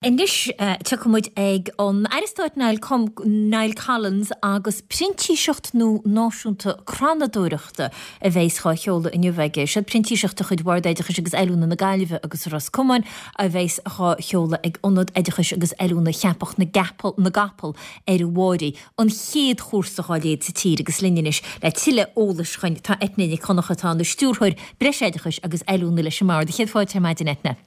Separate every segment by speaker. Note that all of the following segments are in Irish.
Speaker 1: Anois tiocfaidh muid ag an Aire Stáit Niall Collins agus printíseacht nua náisiúnta crannadóireachta a bheas dhá sheoladh inniu aige. Siod printíseacht de chuid Bhord Oideachais agus Oiliúna na Gaillimhe agus Ros Comáin a bheas dhá sheoladh ag Ionad Oideachais agus Oiliúna Cheapach na gCapall ar an Bháirí, an chéad chúrsa dhá leithéid sa tír agus linn anois le tuilleadh eolais chugainn tá Eithne Nic Dhonncha atá ina Stiúrthóir Breisoideachais agus Oiliúna leis an mBord. Céad fáilte ar maidin Eithne.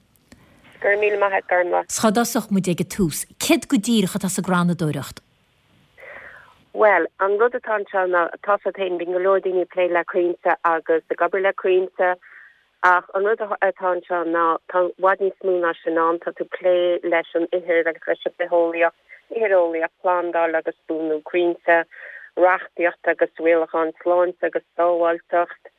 Speaker 2: Go raibh míle maith agat, Gormlaith.
Speaker 1: 'S cá dtosódh muid ag an tús? Céard go díreach atá sa gcrannadóireacht?
Speaker 2: Bhuel, an rud atá anseo ná, tá 's agat féin, bíonn go leor daoine ag plé le crainnte agus ag obair le crainnte ach an rud atá anseo ná tá i bhfad níos mó ná sin ann, tá tú ag plé leis an ithir agus leis an bitheolaíocht, itheareolaíocht, plandáil agus buanú crainnte, reachtaíocht agus rialacháin sláinte agus sábháilteacht,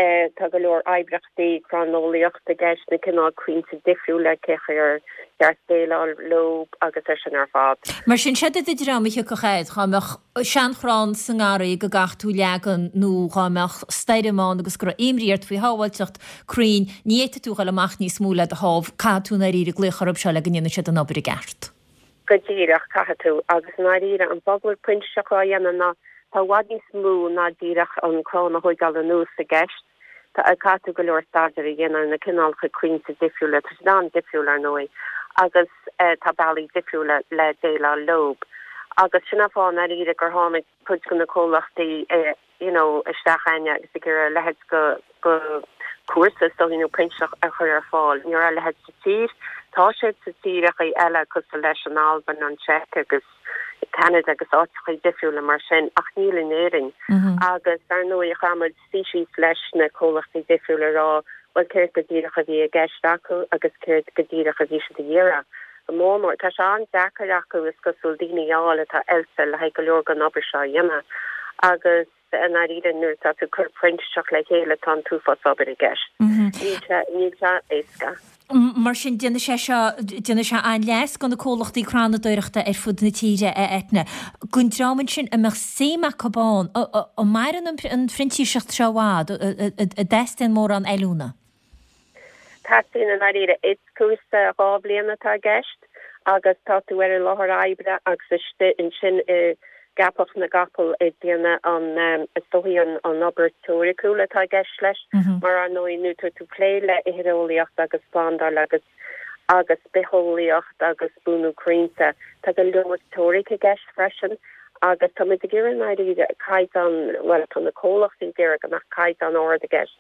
Speaker 2: Tá go leor oibríochtaí cranneolaíochta i gceist, na cineál crainnte difriúla, cé chaoi ar cheart déileáil leo agus é sin ar fad.
Speaker 1: Mar sin, séard é do dhream a thiocfadh air dhá mbeadh seanchrann sa ngarraí go gcaithfidh tú leagan nó dhá mbeadh stoirm ann agus go raibh imní ort faoi shábháilteacht crainn, ní fhéadfaidh tú dhul amach níos mó le do thámh, caithfidh tú i ndáiríre glaoch orthu seo le go ndéanfaidh siad an obair i gceart.
Speaker 2: Go díreach, caithfidh tú. Agus i ndáiríre, an fáth go bhfuil printíseacht á dhéanamh ná tá i bhfad níos mó ná díreach an crann a thóigeáil anuas i gceist. Tá, caithfidh tú go leor staidéir a dhéanamh ar na cineálacha crainnte difriúla, tá siad an-difriúil ar ndóigh, agus tá bealaí difriúla le déileáil leo. Agus sin an fáth i ndáiríre gur tháinig cuid de na comhlachtaí you know, isteach chugainne agus ag iarraidh a leithéid de, de chúrsa is dóigh nó printíseacht a chur ar fáil. Ní raibh a leithéid sa tír. Tá sé sa tíreachaí eile cosúil leis an Albain, an tSeic agus Ceanada agus áiteachaí difriúla mar sin ach níl in Éirinn. Agus ar ndóigh chaith muid suí síos leis na comhlachtaí difriúla a rá bhuel céard go díreach a bhí i gceist acu agus céard go díreach a bhí siad ag iarraidh. Go mór mór. Tá sé an-deacair acu, is cosúil, daoine a fháil atá oilte le haghaidh go leor den obair seo a dhéanamh. Agus i ndáiríre, nuair atá tú ag cur printíseacht le chéile, tá an t-uafás obair i gceist. Níl sé, níl sé éasca.
Speaker 1: Mar sin, déanfaidh sé seo, déanfaidh sé an-leas do na comhlachtaí crannadóireachta ar fud na tíre, a Eithne. Don dream ansin a mbeadh suim acu ann, an maireann an phrintíseacht seo i bhfad, an dteastaíonn mórán oiliúna?
Speaker 2: Teastaíonn i ndáiríre. Is cúrsa 2 bhliain atá i gceist agus tá tú ar an láthair oibre agus istigh ansin i gCeapach na gCapall ag déanamh an, is dóichí an an obair teoiriciúil atá i gceist leis mar ar ndóigh nuair atá tú ag plé le hitheareolaíocht agus plandáil agus agus bitheolaíocht agus buanú crainnte tá go leor teoiric i gceist freisin agus tá muid ag iarraidh i ndáiríre caighdeán, bhuel tá na comhlachtaí ag iarraidh go mbeadh caighdeán ard i gceist.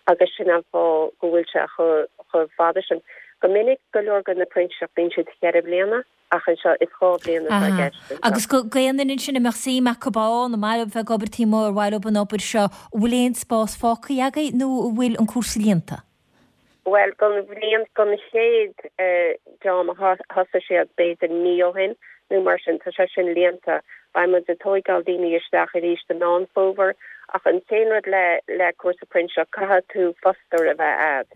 Speaker 2: agus sin an fáth go bhfuil sé chomh fada sin. Go minic, go leor de na printíseachtaí, bíonn siad cheithre bliana, ach anseo is 2 bhliain atá i gceist
Speaker 1: anseo. Agus do aon duine ansin a mbeadh suim acu ann, ar mhaith leo bheith ag obair taobh amuigh, ar mhaith leo an obair seo, an bhfuil aon spás fágtha agaibh nó an bhfuil an cúrsa líonta?
Speaker 2: Bhuel, don bhliain, don chéad dream a thosaigh siad b'fhéidir mí ó shin nó mar sin, tá sé sin líonta. Beidh muid ag tóigeáil daoine isteach arís i Meán Fómhair ach an t-aon rud le le cúrsa printíseach, caithfidh tú fostóir a bheith a'd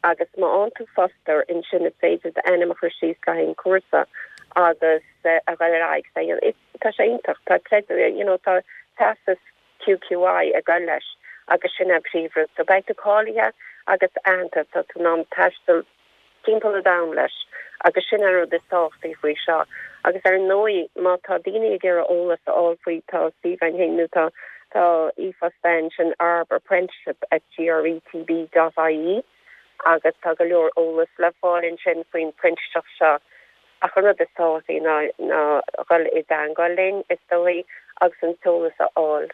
Speaker 2: agus má fhaigheann tú fostóir ansin is féidir d'ainm a chur síos le haghaidh an cúrsa agus a dhul ar aghaidh. Tá sé iontach, tá creideamh, you know, tá teastas QQI ag goil leis agus sin an príomhrud. So beidh tú cáilithe agus aitheanta, tá tú in ann taisteal timpeall an domhain leis agus sin an rud is tábhachtaí faoi seo. Agus ar ndóigh má tá daoine ag iarraidh eolas a fháil faoi tá suíomh againn féin nó tá tá e-phost againn sin arbapprenticeship at gretb dot ie agus tá go leor eolas le fáil ansin faoin printíseacht seo. Ach an rud is tábhachtaí ná ná dhul i dteangmháil linn, is dóigh, agus an t-eolas a fháil.